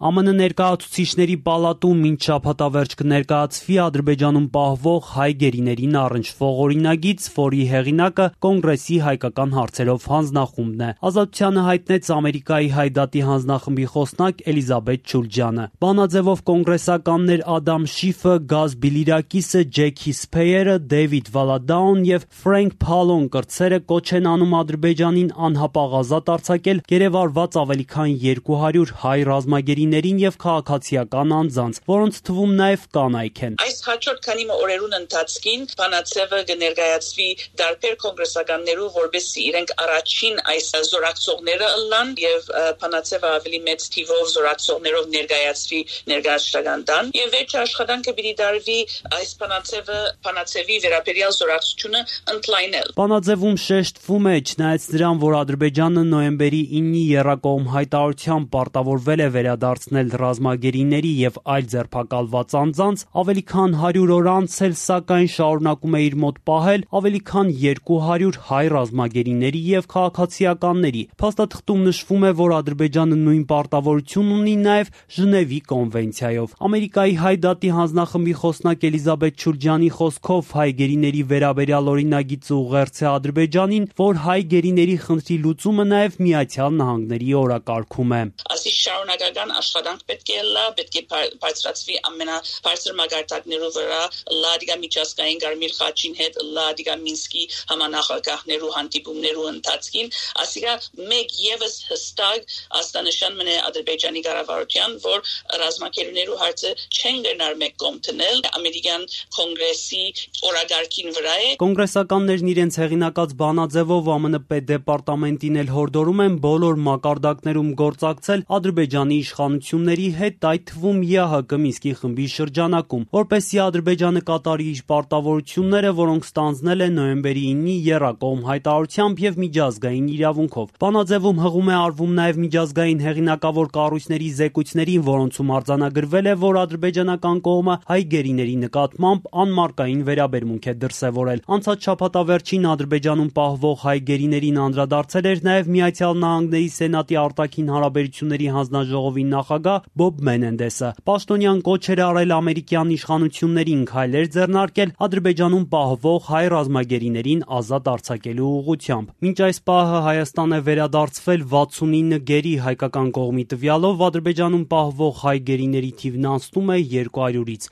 ԱՄՆ ներկայացուցիչների պալատում մինչ շաբաթավերջ կներկայացվի Ադրբեջանում պահվող հայ գերիներին առնչվող օրինագիծ, որի հեղինակը Կոնգրեսի հայկական հարցերով հանձնախումբն է։ Ազատությանը հայտնեց Ամերիկայի հայ դատի հանձնախմբի խոսնակ Էլիզաբեթ Չուլջյանը։ Բանաձևով կոնգրեսականներ Ադամ Շիֆը, Գազ Բիլիրակիսը, Ջեքի Սփեյերը, Դեյվիդ Վալադաուն եւ Ֆրենք Փալոն կրտսերը կոչ են անում Ադրբեջանին անհապաղ ազատ արձակել գերեվարված ավելի քան 200 հայ ռազմագերիներին եւ քաղաքացիական անձանց, որոնց թվում նաեւ կանայք են։ Այս հաջորդ քանի օրերուն ընթացքին Փանացևը կներկայացվի դարբեր կոնգրեսականներու, որբեսի իրենք առաջին այս զորակցողները ըլլան եւ Փանացևը ավելի մեծ թիվով զորակցողներով ներկայացվի ներկայացական տան եւ վերջ աշխատանքը պիտի դարվի այս Փանացևի վերաբերյալ զորակցությունը ընդլայնել։ Բանաձևում շեշտվում է, չնայած նրան, որ Ադրբեջանը նոյեմբերի 9-ի եռակողմ հայտարարությամբ պարտավորվել է վերադարձնել ռազմագերիների եւ այլ ձերբակալված անձանց, ավելի քան 100 օր անց էլ սակայն շարունակում է իր մոտ պահել ավելի քան 200 հայ ռազմագերիների եւ քաղաքացիականների։ Փաստաթղթում նշվում է, որ Ադրբեջանը նույն պարտավորություն ունի նաեւ Ժնևի կոնվենցիայով։ Ամերիկայի հայ դատի հանձնախմբի խոսնակ Էլիզաբեթ Չուլջյանի խոսքով հայ գերիների վերաբերյալ օրինագիծը ուղերձ է Ադրբեջանին, որ հայ գերիների խնդրի լուծումը նաեւ Միացյալ Նահանգների օրակարգում է։ Ասի շարունակական աշխատանք պետք է լա, պետք է բարձրացվի ամենաբարձր մակարդակներով վրա լադիգա միջազգային Կարմիր խաչին հետ լադիգա Մինսկի համանախագահներու հանդիպումներու ընթացքին, ասիկա մեկ եւս հստակ աստանշան մնե Ադրբեջանի կառավարության, որ ռազմակերուներու հարցը չեն գնար մեկ կողմ տնել ամերիկյան կոնգրեսի օրակարգին վրա է։ Կոնգրեսականներն իրենց հեղինակած բանաձևով ԱՄՆ պետդեպարտամենտին էլ հորդորում են բոլոր մակարդակներում գործակցել Ադրբեջանի իշխանությունների հետ, այդ թվում ԵԱՀԿ Մինսկի խմբի շրջանակում, որպեսզի Ադրբեջանը կատարի իր պարտավորությունները, որոնք ստանձնել է նոյեմբերի 9-ի եռակողմ հայտարարությամբ եւ միջազգային իրավունքով։ Բանաձևում հղում է արվում նաեւ միջազգային հեղինակավոր կառույցների զեկույցներին, որոնցում արձանագրվել է, որ ադրբեջանական կողմը հայ գերիների նկատմամբ անմարկային վերաբերմունք է դրսևորել։ Անցած շաբաթավերջին Ադրբեջանում պահվող հայ գերիներին անդրադարձել էր նաեւ Միացյալ Նահանգների Սենատի արտաքին հարաբերությունների հանձնաժողովի նախագահ Բոբ Մենենդեսը։ Պաշտոնյան կոչ էր արել ամերիկյան իշխանություններին քայլեր ձեռնարկել Ադրբեջանում պահվող հայ ռազմագերիներին ազատ արձակելու ուղղությամբ։ Մինչ այս պահը Հայաստան է վերադարձվել 69 գերի, հայկական կողմի տվյալով Ադրբեջանում պահվող հայ գերիների թիվն անցնում է 200-ից։